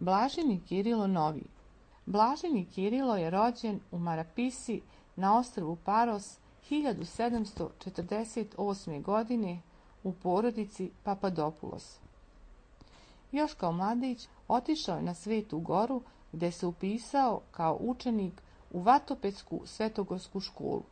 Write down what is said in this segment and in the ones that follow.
Blaženi Kirilo Novi. Blaženi Kirilo je rođen u Marapisi na ostrvu Paros 1748. godine u porodici Papadopoulos. Još kao mladić otišao je na Svetu Goru gdje se upisao kao učenik u Vatopetsku svetogorsku školu.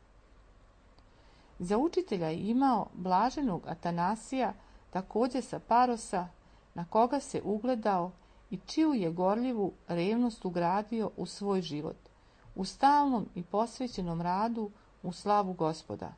Za učitelja je imao blaženog Atanasija, također sa Parosa, na koga se ugledao i čiju je gorljivu revnost ugradio u svoj život, u stalnom i posvećenom radu u slavu Gospoda.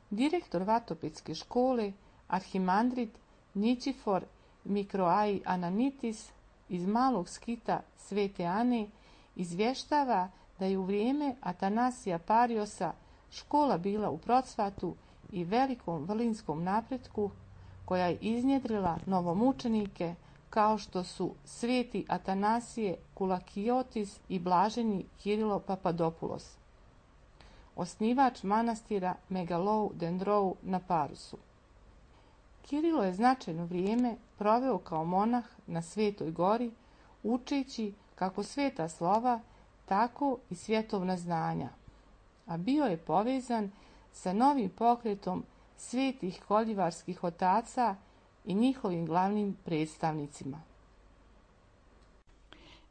Direktor Vatopetske škole, arhimandrit Ničifor Mikroai Ananitis iz malog skita Svete Ane, izvještava da je u vrijeme Atanasija Pariosa škola bila u procvatu i velikom vrlinskom napretku, koja je iznjedrila novomučenike kao što su sveti Atanasije Kulakiotis i blaženi Kirilo Papadopoulos, osnivač manastira Megalou Dendrou na Parusu. Kirilo je značajno vrijeme proveo kao monah na Svetoj Gori, učeći kako sveta slova, tako i svjetovna znanja, a bio je povezan sa novim pokretom svetih koljivarskih otaca i njihovim glavnim predstavnicima.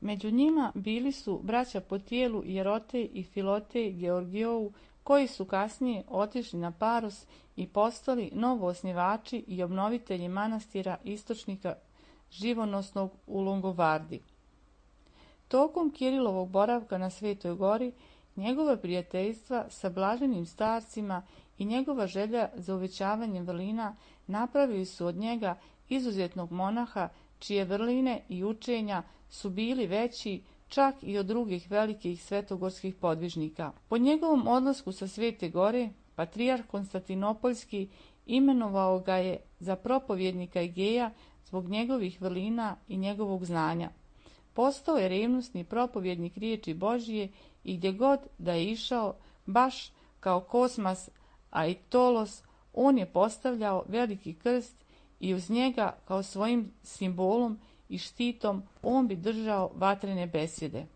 Među njima bili su braća po tijelu Jerotej i Filotej Georgijou, koji su kasnije otišli na Paros i postali novoosnivači i obnovitelji manastira istočnika živonosnog u Longovardi. Tokom Kirilovog boravka na Svetoj Gori, njegova prijateljstva sa blaženim starcima i njegova želja za uvećavanjem vrlina napravili su od njega izuzetnog monaha, čije vrline i učenja su bili veći čak i od drugih velikih svetogorskih podvižnika. Po njegovom odlasku sa Svete Gore, patrijarh Konstantinopoljski imenovao ga je za propovjednika Egeja zbog njegovih vrlina i njegovog znanja. Postao je revnosni propovjednik riječi Božije i gdje god da je išao, baš kao Kosmas Aitolos, on je postavljao veliki krst i uz njega kao svojim simbolom i štitom on bi držao vatrene besjede.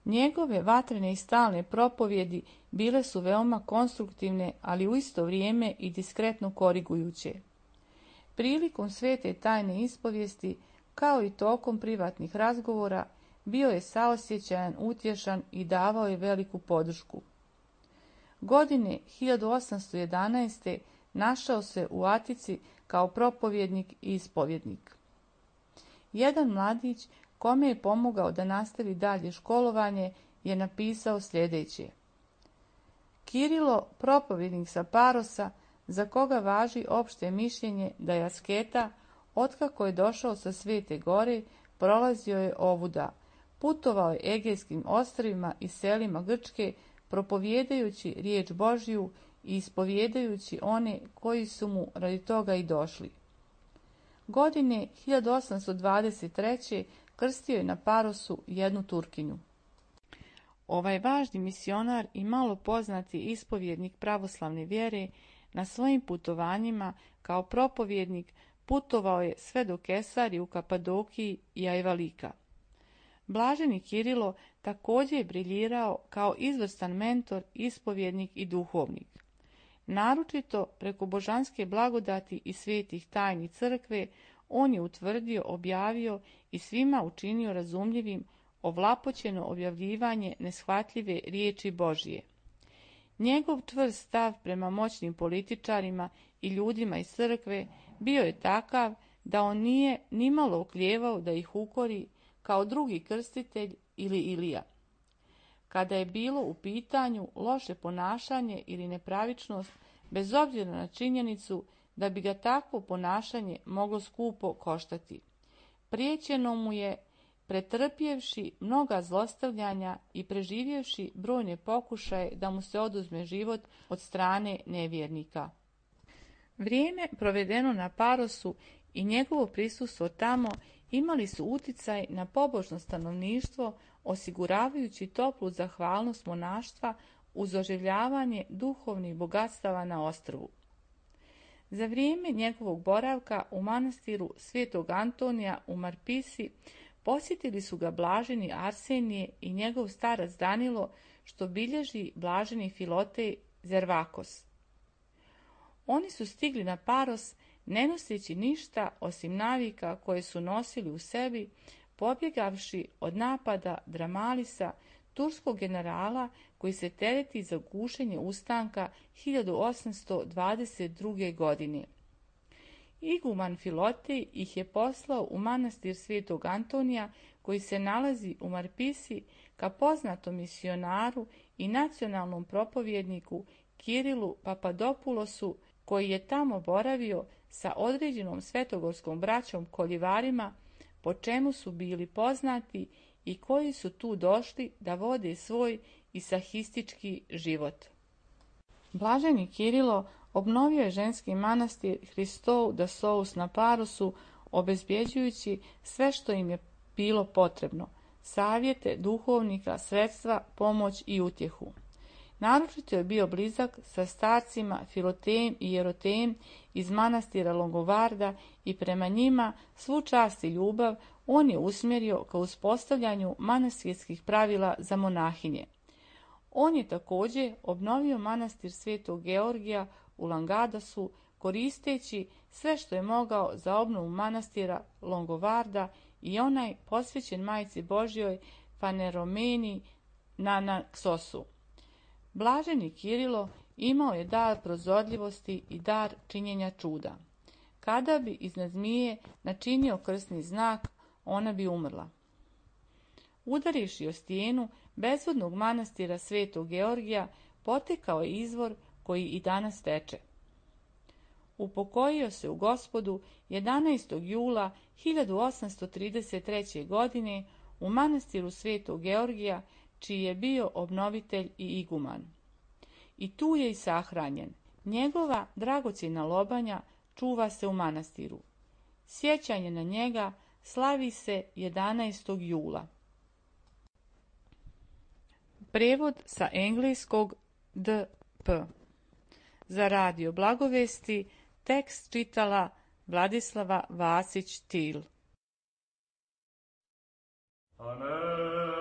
Njegove vatrene i stalne propovjedi bile su veoma konstruktivne, ali u isto vrijeme i diskretno korigujuće. Prilikom svete tajne ispovijesti, kao i tokom privatnih razgovora, bio je saosjećajan, utješan i davao je veliku podršku. Godine 1811. našao se u Atici kao propovjednik i ispovjednik. Jedan mladić, kome je pomogao da nastavi dalje školovanje, je napisao sljedeće: Kirilo, propovjednik sa Parosa, za koga važi opšte mišljenje da je asketa, otkako je došao sa Svete Gore, prolazio je ovuda, putovao je Egejskim ostrvima i selima Grčke, propovjedajući riječ Božju i ispovjedajući one koji su mu radi toga i došli. Godine 1823. krstio je na Parosu jednu Turkinju. Ovaj važni misionar i malo poznati ispovjednik pravoslavne vjere na svojim putovanjima kao propovjednik putovao je sve do Kesarije u Kapadokiji i Ajvalika. Blaženi Kirilo također je briljirao kao izvrstan mentor, ispovjednik i duhovnik. Naročito preko božanske blagodati i svetih tajni crkve on je utvrdio, objavio i svima učinio razumljivim ovlapoćeno objavljivanje neshvatljive riječi Božije. Njegov čvrst stav prema moćnim političarima i ljudima iz crkve bio je takav da on nije nimalo oklijevao da ih ukori kao drugi krstitelj ili Ilija. Kada je bilo u pitanju loše ponašanje ili nepravičnost, bez obzira na činjenicu da bi ga takvo ponašanje moglo skupo koštati, priječeno mu je, pretrpjevši mnoga zlostavljanja i preživjevši brojne pokušaje da mu se oduzme život od strane nevjernika. Vrijeme provedeno na Parosu i njegovo prisustvo tamo imali su uticaj na pobožno stanovništvo, osiguravajući toplu zahvalnost monaštva uz oživljavanje duhovnih bogatstava na ostrvu. Za vrijeme njegovog boravka u manastiru Svetog Antonija u Marpisi posjetili su ga blaženi Arsenije i njegov starac Danilo, što bilježi blaženi Filotej Zervakos. Oni su stigli na Paros ne noseći ništa osim navika koje su nosili u sebi, pobjegavši od napada Dramalisa, turskog generala koji se tereti za gušenje ustanka 1822. godine. Iguman Filotej ih je poslao u manastir Svetog Antonija koji se nalazi u Marpisi ka poznatom misionaru i nacionalnom propovjedniku Kirilu Papadopulosu, koji je tamo boravio sa određenom svetogorskom braćom koljivarima, po čemu su bili poznati i koji su tu došli da vode svoj isahistički život. Blaženi Kirilo obnovio je ženski manastir Hristou da Sous na Parosu, obezbjeđujući sve što im je bilo potrebno, savjete, duhovnika, sredstva, pomoć i utjehu. Naročito je bio blizak sa starcima Filotejem i Jerotejem iz manastira Longovarda i prema njima svu čast i ljubav on je usmjerio ka uspostavljanju manastirskih pravila za monahinje. On je također obnovio manastir Svetog Georgija u Langadasu, koristeći sve što je mogao za obnovu manastira Longovarda i onaj posvećen Majci Božjoj Faneromeni na Naxosu. Blaženi Kirilo imao je dar prozorljivosti i dar činjenja čuda. Kada bi iznad zmije načinio krsni znak, ona bi umrla. Udarivši o stijenu bezvodnog manastira Svetog Georgija, potekao je izvor koji i danas teče. Upokojio se u Gospodu 11. jula 1833. godine u manastiru Svetog Georgija, čiji je bio obnovitelj i iguman. I tu je i sahranjen. Njegova dragocjena lobanja čuva se u manastiru. Sjećanje na njega slavi se 11. jula. Prevod sa engleskog D.P. Za radio Blagovesti tekst čitala Vladislava Vasić-Til. Amen.